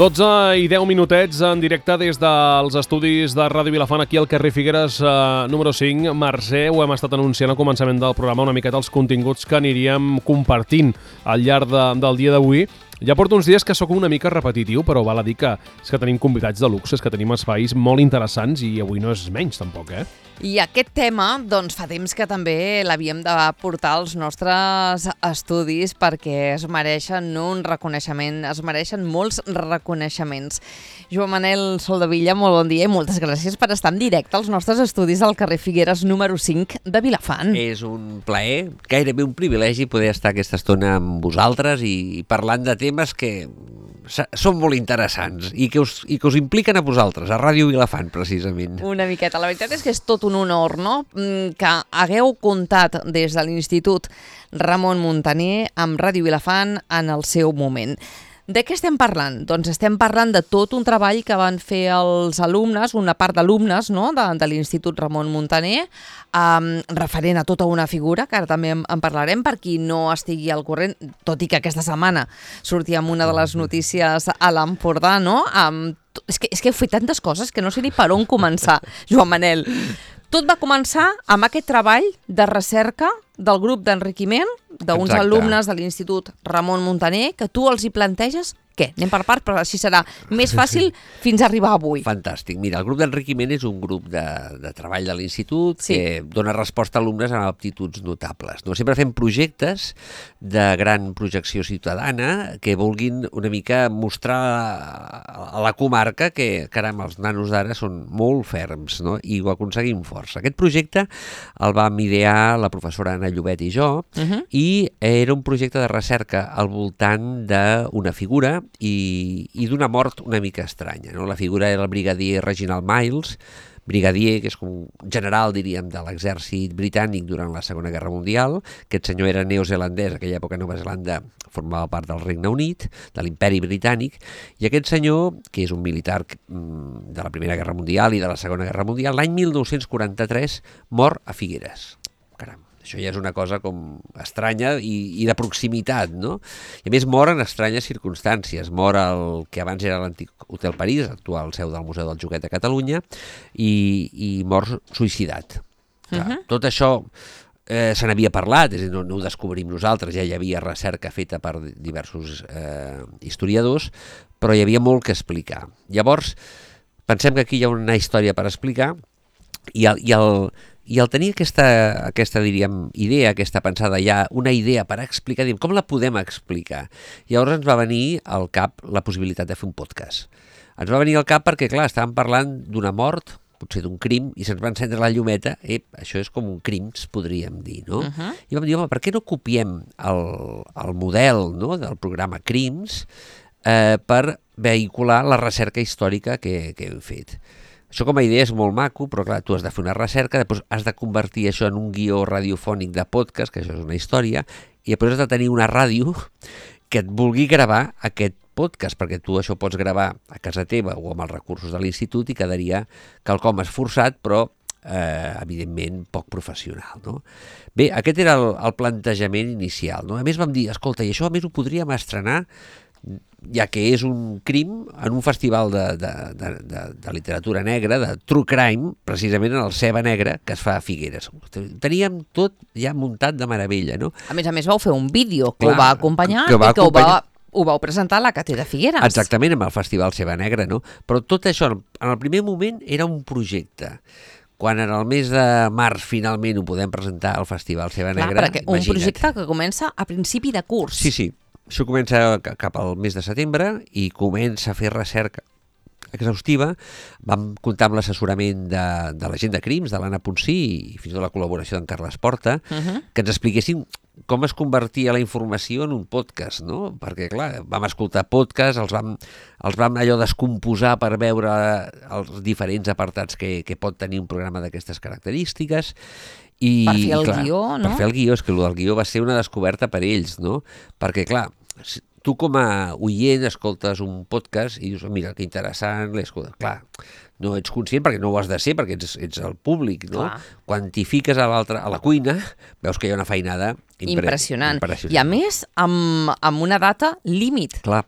12 i 10 minutets en directe des dels estudis de Ràdio Vilafant aquí al carrer Figueres número 5. Mercè, ho hem estat anunciant al començament del programa, una miqueta els continguts que aniríem compartint al llarg del dia d'avui. Ja porto uns dies que sóc una mica repetitiu, però val a dir que és que tenim convidats de luxe, és que tenim espais molt interessants i avui no és menys tampoc, I aquest tema, doncs, fa temps que també l'havíem de portar als nostres estudis perquè es mereixen un reconeixement, es mereixen molts reconeixements. Joan Manel Soldevilla, molt bon dia i moltes gràcies per estar en directe als nostres estudis al carrer Figueres número 5 de Vilafant. És un plaer, gairebé un privilegi poder estar aquesta estona amb vosaltres i parlant de temes que són molt interessants i que us impliquen a vosaltres, a Ràdio Vilafant, precisament. Una miqueta. La veritat és que és tot un honor, no?, que hagueu comptat des de l'Institut Ramon Muntaner amb Ràdio Vilafant en el seu moment. De què estem parlant? Doncs estem parlant de tot un treball que van fer els alumnes, una part d'alumnes, no?, de l'Institut Ramon Muntaner, referent a tota una figura, que ara també en parlarem, per qui no estigui al corrent, tot i que aquesta setmana sortia amb una de les notícies a l'Empordà, no? És que heu fet tantes coses que no sé ni per on començar, Joan Manel. Tot va començar amb aquest treball de recerca del grup d'enriquiment d'uns alumnes de l'Institut Ramon Muntaner, que tu els hi planteges. Què? Anem per part, però així serà més fàcil fins a arribar avui. Fantàstic. Mira, el grup d'enriquiment és un grup de treball de l'Institut que dona resposta a alumnes amb aptituds notables. No? Sempre fem projectes de gran projecció ciutadana que vulguin una mica mostrar a la comarca que, caram, els nanos d'ara són molt ferms, no? I ho aconseguim força. Aquest projecte el vam idear la professora Anna Llobet i jo, i era un projecte de recerca al voltant d'una figura i d'una mort una mica estranya. No? La figura era el brigadier Reginald Miles, brigadier, que és com un general, diríem, de l'exèrcit britànic durant la Segona Guerra Mundial. Aquest senyor era neozelandès, a aquella època Nova Zelanda formava part del Regne Unit, de l'imperi britànic, i aquest senyor, que és un militar de la Primera Guerra Mundial i de la Segona Guerra Mundial, l'any 1943 mor a Figueres. Caram. Això ja és una cosa com estranya i de proximitat, no? I a més mor en estranyes circumstàncies. Mor el que abans era l'antic Hotel París, actual seu del Museu del Joguet de Catalunya, i mor suïcidat. Tot això se n'havia parlat, és a dir, no ho descobrim nosaltres, ja hi havia recerca feta per diversos historiadors, però hi havia molt que explicar. Llavors, pensem que aquí hi ha una història per explicar i al tenir aquesta diríem, idea, aquesta pensada, ja una idea per explicar, diem, com la podem explicar? Llavors ens va venir al cap la possibilitat de fer un podcast. Ens va venir al cap perquè, clar, estàvem parlant d'una mort, potser d'un crim, i se'ns va encendre la llumeta, això és com un crims, podríem dir, no? I vam dir, home, per què no copiem el model, no?, del programa Crims per vehicular la recerca històrica que hem fet? Això com a idea és molt maco, però clar, tu has de fer una recerca, després has de convertir això en un guió radiofònic de podcast, que això és una història, i després has de tenir una ràdio que et vulgui gravar aquest podcast, perquè tu això pots gravar a casa teva o amb els recursos de l'institut i quedaria quelcom esforçat, però evidentment poc professional, no? Bé, aquest era el plantejament inicial, no? A més vam dir, escolta, i això a més ho podríem estrenar, ja que és un crim, en un festival de literatura negra, de true crime, precisament en el Ceba Negra, que es fa a Figueres. Teníem tot ja muntat de meravella, no? A més vau fer un vídeo que ho va acompanyar i que ho vau presentar a la Càtedra Figueres. Exactament, amb el Festival Ceba Negra, no? Però tot això, en el primer moment, era un projecte. Quan en el mes de març finalment ho podem presentar al Festival Ceba Negra, imagina't. Un projecte que comença a principi de curs. Sí. Això comença cap al mes de setembre i comença a fer recerca exhaustiva. Vam comptar amb l'assessorament de la gent de Crims, de l'Anna Ponsí, i fins i tot la col·laboració d'en Carles Porta, que ens expliquessin com es convertia la informació en un podcast, no? Perquè, clar, vam escoltar podcasts, els vam allò descomposar per veure els diferents apartats que pot tenir un programa d'aquestes característiques. Per fer el guió, no? Per fer el guió, és que el del guió va ser una descoberta per ells, no? Perquè, clar, tu com a oient escoltes un podcast i dius, mira, que interessant, l'escoltes. Clar, no ets conscient perquè no ho has de ser, perquè ets el públic, no? Clar. Quan t'hi fiques a la cuina, veus que hi ha una feinada impressionant. I a més, amb una data límit. Clar.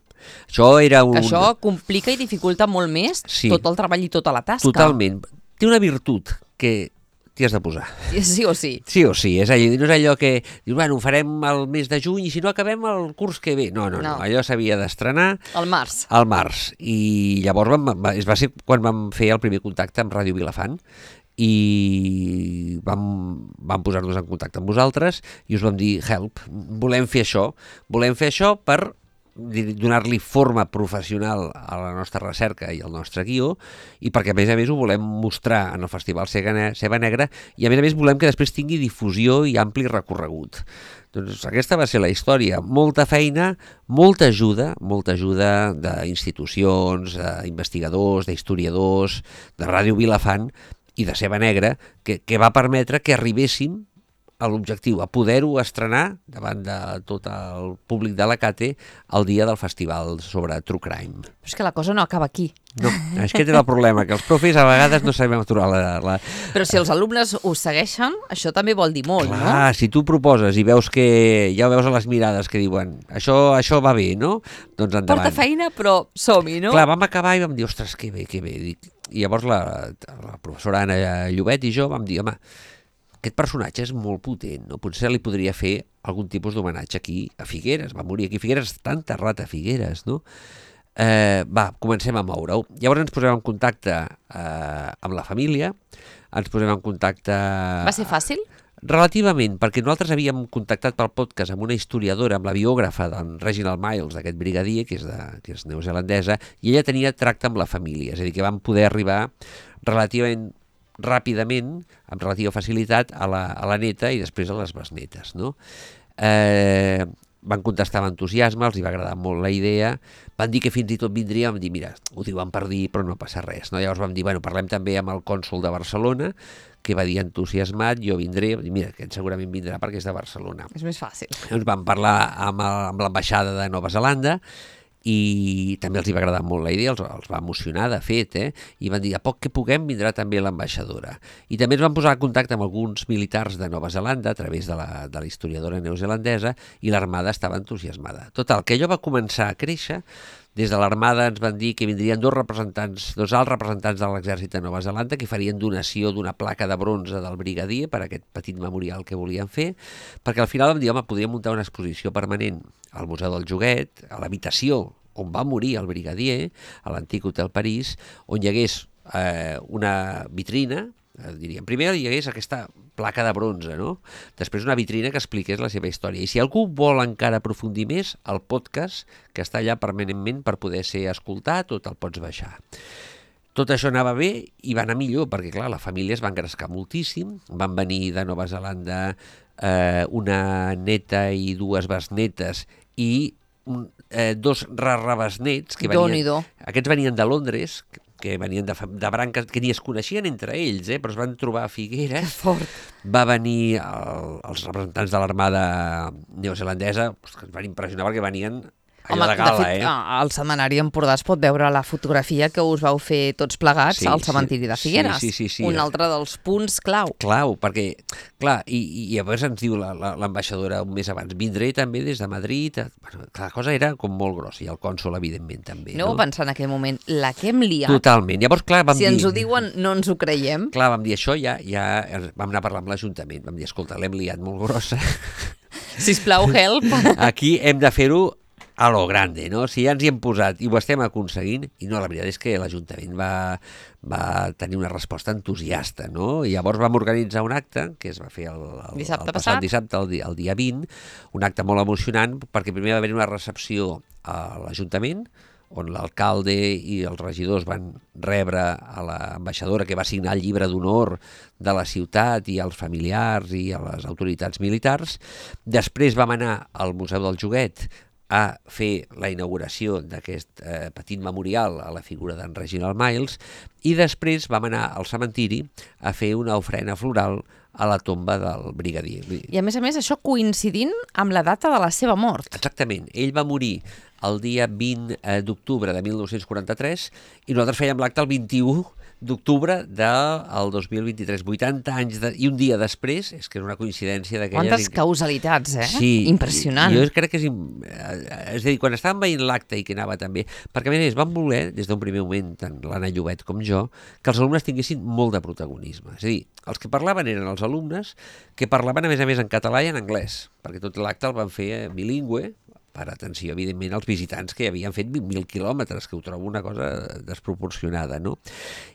Això era un... Això complica i dificulta molt més tot el treball i tota la tasca. Totalment. Té una virtut que t'hi has de posar. Sí o sí. Sí o sí. No és allò que dius, bueno, ho farem el mes de juny i si no acabem el curs que ve. No. Allò s'havia d'estrenar... Al març. Al març. I llavors va ser quan vam fer el primer contacte amb Ràdio Vilafant i vam posar-nos en contacte amb vosaltres i us vam dir, help, volem fer això per donar-li forma professional a la nostra recerca i al nostre guió i perquè a més ho volem mostrar en el Festival Ceba Negra i a més volem que després tingui difusió i ampli recorregut. Doncs aquesta va ser la història. Molta feina, molta ajuda d'institucions, d'investigadors, d'historiadors, de Ràdio Vilafant i de Ceba Negra, que va permetre que arribéssim a l'objectiu, a poder-ho estrenar davant de tot el públic de la Cate el dia del festival sobre True Crime. Però és que la cosa no acaba aquí. No, aquest era el problema, que els profes a vegades no sabem aturar la... Però si els alumnes ho segueixen, això també vol dir molt, no? Clar, si tu proposes i veus que ja ho veus a les mirades que diuen això va bé, no? Doncs endavant. Porta feina, però som-hi, no? Clar, vam acabar i vam dir, ostres, que bé. I llavors la professora Anna Llobet i jo vam dir, home, aquest personatge és molt potent, no? Potser li podria fer algun tipus d'homenatge aquí a Figueres. Va morir aquí a Figueres, està enterrat a Figueres, no? Comencem a moure-ho. Llavors ens posem en contacte amb la família, ens posem en contacte... Va ser fàcil? Relativament, perquè nosaltres havíem contactat pel podcast amb una historiadora, amb la biògrafa d'en Reginald Miles, d'aquest brigadier, que és neozelandesa, i ella tenia tracte amb la família, és a dir, que vam poder arribar relativament ràpidament, amb relativa facilitat, a la neta i després a les besnetes, no? Van contestar amb entusiasme, els hi va agradar molt la idea, van dir que fins i tot vindria, vam dir, mira, ho diuen per dir, però no passa res, no? Llavors vam dir, bueno, parlem també amb el cònsol de Barcelona, que va dir entusiasmat, jo vindré, mira, que segurament vindrà perquè és de Barcelona. És més fàcil. Ens vam parlar amb l'ambaixada de Nova Zelanda, i també els hi va agradar molt la idea, els va emocionar de fet, i van dir, a poc que puguem vindrà també l'ambaixadora. I també ens van posar en contacte amb alguns militars de Nova Zelanda a través de la historiadora neozelandesa i l'Armada estava entusiasmada. Total, que allò va començar a créixer, des de l'Armada ens van dir que vindrien dos alts representants de l'exèrcit de Nova Zelanda que farien donació d'una placa de bronze del brigadier per a aquest petit memorial que volien fer, perquè al final vam dir, home, podríem muntar una exposició permanent al Museu del Joguet, a l'habitació on va morir el brigadier, a l'antic Hotel París, on hi hagués una vitrina, diríem, primer hi hagués aquesta placa de bronze, no? Després una vitrina que expliqués la seva història. I si algú vol encara aprofundir més, el podcast, que està allà permanentment per poder ser escoltat o te'l pots baixar. Tot això anava bé i va anar millor, perquè clar, la família es va engrescar moltíssim, van venir de Nova Zelanda una neta i dues besnetes i dos rarrabesnets que venien, aquests venien de Londres, que venien de branques que ni es coneixien entre ells, però es van trobar a Figueres. Que fort. Va venir els representants de l'Armada neozelandesa, que ens van impressionar perquè venien allò de gala, de fet, al Setmanari Empordà es pot veure la fotografia que us vau fer tots plegats al cementiri de Figueres. Sí. Un altre dels punts clau. Clau, perquè, clar, i llavors ens diu l'ambaixadora un mes abans, vindré també des de Madrid. Bueno, la cosa era com molt grossa, i el cònsol, evidentment, també. No? Pensar en aquell moment, la que hem liat. Totalment. Llavors, clar, vam dir... Si ens ho diuen, no ens ho creiem. Clar, vam dir això, ja vam anar a parlar amb l'Ajuntament. Vam dir, escolta, l'hem liat molt grossa. Sisplau, help. Aquí hem de fer-ho a lo grande, no? Si ja ens hi hem posat i ho estem aconseguint, i no, la veritat és que l'Ajuntament va tenir una resposta entusiasta, no? I llavors vam organitzar un acte, que es va fer el passat dissabte, el dia 20, un acte molt emocionant, perquè primer va haver una recepció a l'Ajuntament, on l'alcalde i els regidors van rebre a l'ambaixadora que va signar el llibre d'honor de la ciutat i als familiars i a les autoritats militars. Després vam anar al Museu del Joguet a fer la inauguració d'aquest petit memorial a la figura d'en Reginald Miles i després vam anar al cementiri a fer una ofrena floral a la tomba del brigadier. I a més, això coincidint amb la data de la seva mort. Exactament. Ell va morir el dia 20 d'octubre de 1943 i nosaltres fèiem l'acte el 21 d'octubre del 2023, 80 anys i un dia després, és que és una coincidència d'aquelles... Quantes causalitats, Sí, impressionant. Jo crec que és a dir, quan estàvem veient l'acte i que anava també, perquè a més van voler, des d'un primer moment, tant l'Anna Llobet com jo, que els alumnes tinguessin molt de protagonisme. És a dir, els que parlaven eren els alumnes, que parlaven a més en català i en anglès, perquè tot l'acte el van fer bilingüe, per atenció, evidentment, als visitants que havien fet 20.000 quilòmetres, que ho trobo una cosa desproporcionada, no?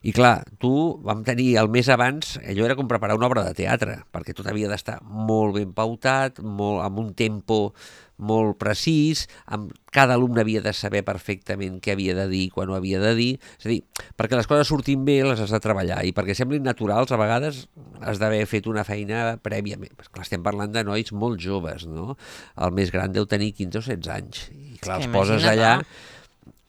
I clar, vam tenir el mes abans, allò era com preparar una obra de teatre, perquè tot havia d'estar molt ben pautat, amb un tempo molt precís, cada alumne havia de saber perfectament què havia de dir, quan ho havia de dir, és a dir, perquè les coses surtin bé les has de treballar, i perquè semblin naturals a vegades has d'haver fet una feina prèviament. Clar, estem parlant de nois molt joves, no? El més gran deu tenir 15 o 16 anys, i clar, els poses allà,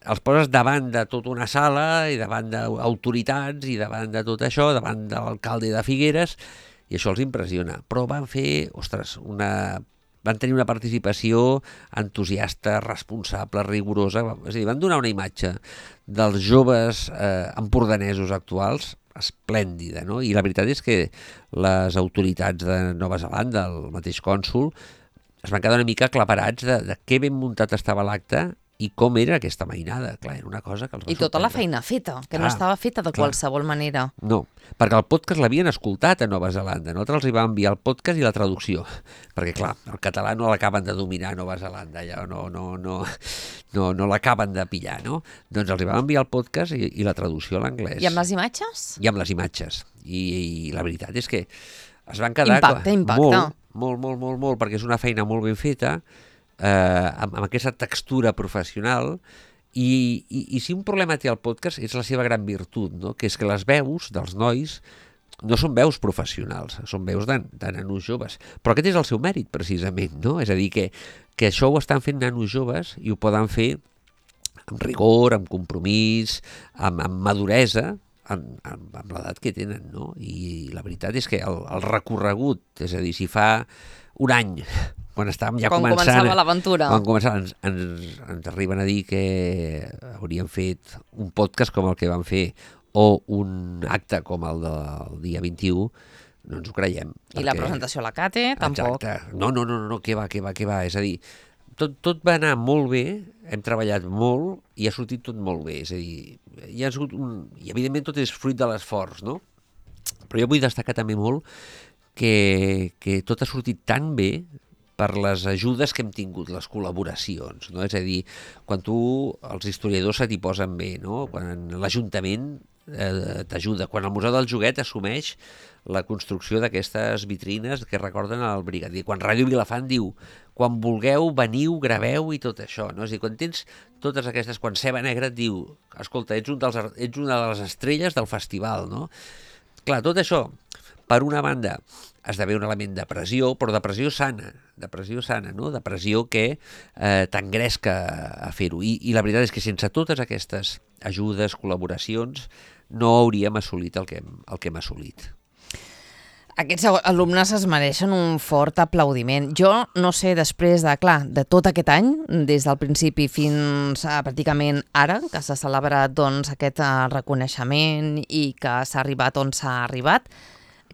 els poses davant de tota una sala i davant d'autoritats i davant de tot això, davant de l'alcalde de Figueres, i això els impressiona. Però van fer, ostres, van tenir una participació entusiasta, responsable, rigorosa, és a dir, van donar una imatge dels joves empordanesos actuals esplèndida, no? I la veritat és que les autoritats de Nova Zelanda, el mateix cònsol, es van quedar una mica aclaparats de què ben muntat estava l'acte i com era aquesta mainada. Clar, era una cosa que els va sorprendre. I tota la feina feta, que no estava feta de qualsevol manera. No, perquè el podcast l'havien escoltat a Nova Zelanda. Nosaltres els hi vam enviar el podcast i la traducció, perquè clar, el català no l'acaben de dominar a Nova Zelanda, ja no l'acaben de pillar, no? Doncs els hi vam enviar el podcast i la traducció a l'anglès. I amb les imatges? I amb les imatges. I la veritat és que es van quedar... Impacta. Molt, perquè és una feina molt ben feta, amb aquesta textura professional, i si un problema té el podcast és la seva gran virtut, no? Que és que les veus dels nois no són veus professionals, són veus de nanos joves, però aquest és el seu mèrit precisament, no? És a dir, que això ho estan fent nanos joves i ho poden fer amb rigor, amb compromís, amb maduresa, amb l'edat que tenen, no? I la veritat és que el recorregut, és a dir, si fa un any, quan estàvem ja començant... Quan començava l'aventura. Quan començava, ens arriben a dir que hauríem fet un podcast com el que vam fer o un acte com el del dia 21, no ens ho creiem. I la presentació a la Cate, tampoc. Exacte. No, què va. És a dir, tot va anar molt bé, hem treballat molt i ha sortit tot molt bé. És a dir, i evidentment tot és fruit de l'esforç, no? Però jo vull destacar també molt que tot ha sortit tan bé per les ajudes que hem tingut, les col·laboracions, no? És a dir, quan els historiadors se t'hi posen bé, no? Quan l'Ajuntament t'ajuda, quan el Museu del Joguet assumeix la construcció d'aquestes vitrines que recorden el brigadier, quan Ràdio Vilafant diu, quan vulgueu, veniu, graveu i tot això, no? És a dir, quan tens totes aquestes, quan Ceba Negra et diu, escolta, ets una de les estrelles del festival, no? Clar, tot això, per una banda, esdevé un element de pressió, però de pressió sana, no? De pressió que t'engresca a fer-ho. I la veritat és que sense totes aquestes ajudes, col·laboracions, no hauríem assolit el que hem assolit. Aquests alumnes es mereixen un fort aplaudiment. Jo no sé, després de tot aquest any, des del principi fins a pràcticament ara, que s'ha celebrat aquest reconeixement i que s'ha arribat on s'ha arribat,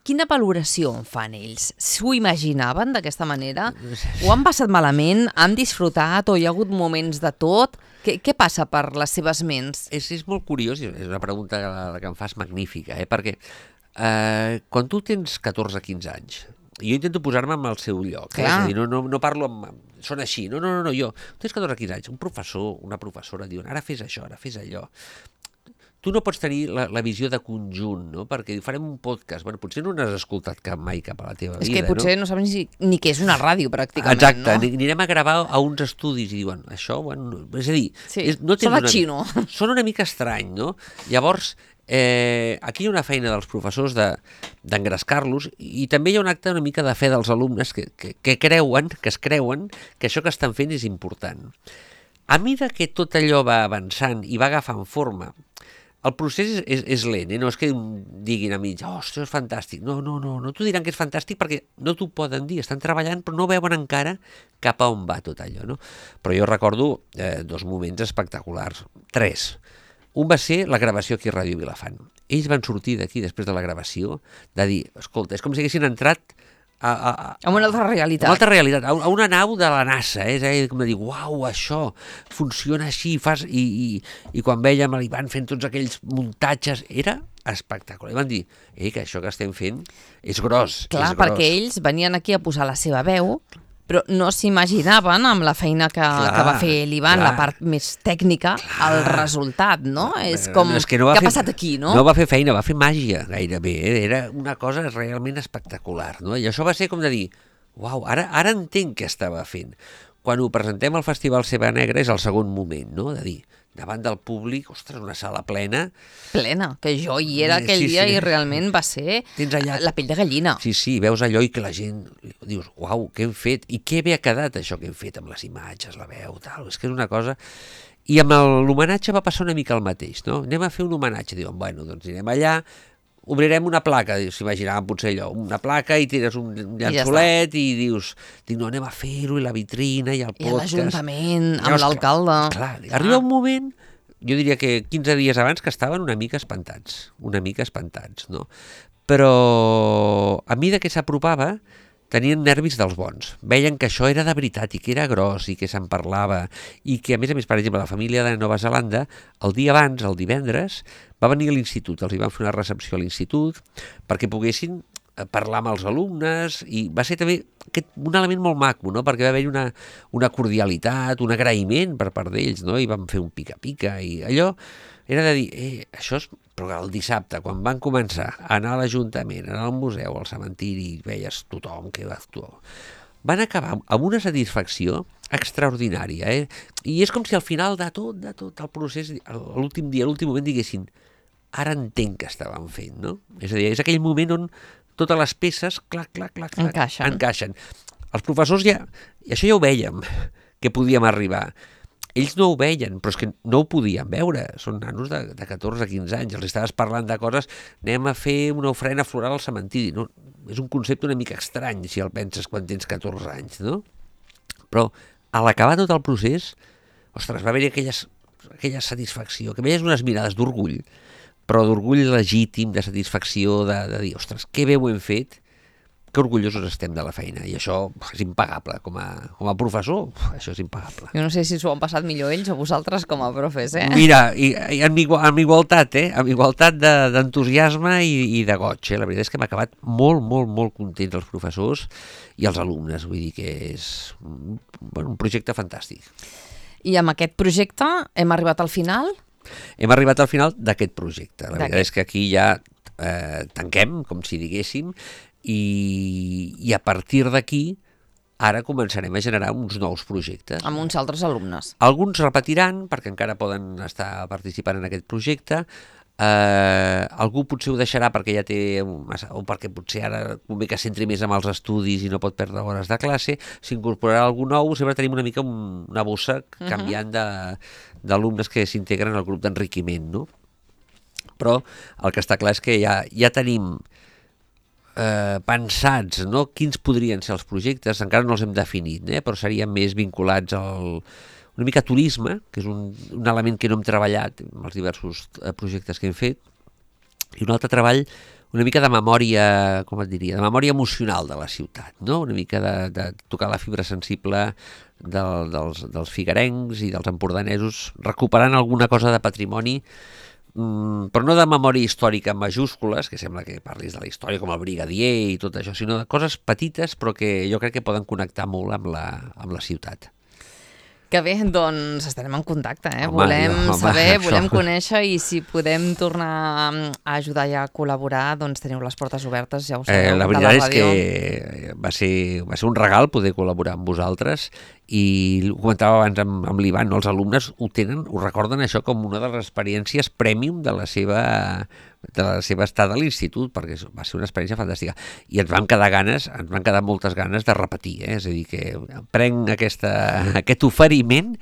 quina valoració en fan ells? S'ho imaginaven d'aquesta manera? Ho han passat malament? Han disfrutat? O hi ha hagut moments de tot? Què passa per les seves ments? És molt curiós, és una pregunta que em fas magnífica, perquè quan tu tens 14 o 15 anys, jo intento posar-me en el seu lloc, és a dir, no parlo són així, no, jo, tens 14 o 15 anys, un professor, una professora diuen, ara fes això, ara fes allò. Tu no pots tenir la visió de conjunt, no? Perquè farem un podcast. Bueno, potser no n'has escoltat mai cap a la teva vida, no? És que potser no saben ni què és una ràdio, pràcticament, exacte, no? Exacte, anirem a gravar a uns estudis i diuen, això, bueno, és a dir... Sí, són a xino. Són una mica estrany, no? Llavors, aquí hi ha una feina dels professors d'engrescar-los i també hi ha un acte una mica de fe dels alumnes que es creuen que això que estan fent és important. A mesura que tot allò va avançant i va agafant forma, el procés és lent, no és que diguin a mi, ostres, és fantàstic. No t'ho diran que és fantàstic perquè no t'ho poden dir, estan treballant però no veuen encara cap a on va tot allò, no? Però jo recordo 2 moments espectaculars, 3. Un va ser la gravació aquí a Ràdio Vilafant. ells van sortir d'aquí després de la gravació de dir, escolta, és com si haguessin entrat amb una altra realitat. Una altra realitat, a una nau de la NASA, com de dir, uau, això funciona així, i quan vèiem l'Ivan fent tots aquells muntatges, era espectacular. I van dir, que això que estem fent és gros. Clar, perquè ells venien aquí a posar la seva veu, però no s'imaginaven amb la feina que va fer l'Ivan, la part més tècnica, el resultat, no? És com, què ha passat aquí, no? No va fer feina, va fer màgia, gairebé. Era una cosa realment espectacular, no? I això va ser com de dir, uau, ara entenc què estava fent. Quan ho presentem al Festival Ceba Negra és el segon moment, no? De dir, davant del públic, ostres, una sala plena. Plena, que jo hi era aquell dia i realment va ser la pell de gallina. Sí, veus allò i que la gent dius, uau, què hem fet? I què bé ha quedat això que hem fet amb les imatges, la veu, tal, és que és una cosa... I amb l'homenatge va passar una mica el mateix, no? Anem a fer un homenatge, diuen, bueno, doncs anirem allà, obrirem una placa, s'imaginaven potser allò, una placa i tires un llençolet i dius, no, anem a fer-ho, i la vitrina, i el podcast... I l'Ajuntament, amb l'alcalde... Clar, arriba un moment, jo diria que 15 dies abans, que estaven una mica espantats, no? Però a mesura que s'apropava, tenien nervis dels bons. Veien que això era de veritat i que era gros i que se'n parlava i que, a més, per exemple, la família de Nova Zelanda, el dia abans, el divendres, va venir a l'institut, els hi van fer una recepció a l'institut perquè poguessin parlar amb els alumnes i va ser també un element molt maco, no? Perquè va haver-hi una cordialitat, un agraïment per part d'ells, no? I van fer un pica-pica i allò era de dir, això és... Però el dissabte, quan van començar a anar a l'Ajuntament, a anar al museu, al cementiri, i veies tothom que va actuar, van acabar amb una satisfacció extraordinària, I és com si al final de tot el procés, l'últim dia, l'últim moment, diguessin, ara entenc què estàvem fent, no? És a dir, és aquell moment on totes les peces, clac, encaixen. Els professors això ja ho vèiem, que podíem arribar. Ells no ho veien, però és que no ho podien veure. Són nanos de 14-15 anys. Els estaves parlant de coses, anem a fer una ofrena floral al cementiri. No? És un concepte una mica estrany, si el penses quan tens 14 anys, no? Però a l'acabar tot el procés, ostres, va haver-hi aquella satisfacció, que veies unes mirades d'orgull, però d'orgull legítim, de satisfacció, de dir, ostres, que bé ho hem fet, que orgullosos estem de la feina, i això és impagable, com a professor, això és impagable. Jo no sé si s'ho han passat millor ells o vosaltres com a profes, Mira, i amb igualtat, amb igualtat d'entusiasme i de goig, La veritat és que hem acabat molt, molt, molt contents els professors i els alumnes, vull dir que és un projecte fantàstic. I amb aquest projecte hem arribat al final? Hem arribat al final d'aquest projecte. La veritat és que aquí ja tanquem, com si diguéssim, i a partir d'aquí ara començarem a generar uns nous projectes. Amb uns altres alumnes. Alguns repetiran, perquè encara poden estar participant en aquest projecte. Algú potser ho deixarà perquè ja té o perquè potser ara convé que s'entri més amb els estudis i no pot perdre hores de classe. S'incorporarà algú nou, sempre tenim una mica una bossa canviant d'alumnes que s'integren al grup d'enriquiment, no? Però el que està clar és que ja tenim pensats, no? Quins podrien ser els projectes, encara no els hem definit, però serien més vinculats una mica a turisme, que és un element que no hem treballat amb els diversos projectes que hem fet, i un altre treball una mica de memòria, com et diria, de memòria emocional de la ciutat, no? Una mica de tocar la fibra sensible dels figuerencs i dels empordanesos, recuperant alguna cosa de patrimoni, però no de memòria històrica en majúscules, que sembla que parlis de la història com el brigadier i tot això, sinó de coses petites però que jo crec que poden connectar molt amb la ciutat. Que bé, doncs estarem en contacte, volem saber, volem conèixer, i si podem tornar a ajudar i a col·laborar, doncs teniu les portes obertes, ja ho sabeu, la veritat és que va ser un regal poder col·laborar amb vosaltres, i ho comentava abans amb l'Ivan, no? Els alumnes ho recorden això com una de les experiències premium de la seva estada a l'institut, perquè va ser una experiència fantàstica, i ens van quedar moltes ganes de repetir, és a dir, que prenc aquest oferiment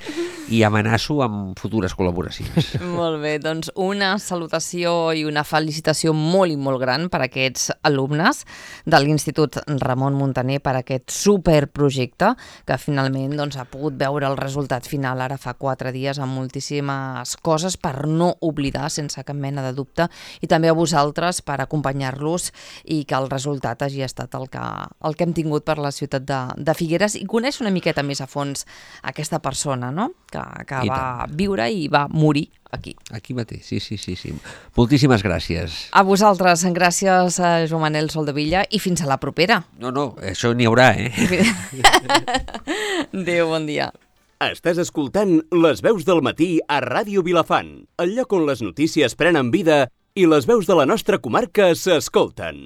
i amenaço amb futures col·laboracions. Molt bé, doncs una salutació i una felicitació molt i molt gran per aquests alumnes de l'Institut Ramon Muntaner, per aquest superprojecte que finalment ha pogut veure el resultat final ara fa 4 dies, amb moltíssimes coses per no oblidar sense cap mena de dubte, i també també a vosaltres per acompanyar-los i que el resultat hagi estat el que hem tingut per la ciutat de Figueres i conèixer una miqueta més a fons aquesta persona, no? que va viure i va morir aquí. Aquí mateix, sí. Moltíssimes gràcies. A vosaltres, gràcies a Joan Manel Soldevilla i fins a la propera. No, això n'hi haurà, Adéu, bon dia. Estàs escoltant Les veus del matí a Ràdio Vilafant, el lloc on les notícies prenen vida i les veus de la nostra comarca s'escolten.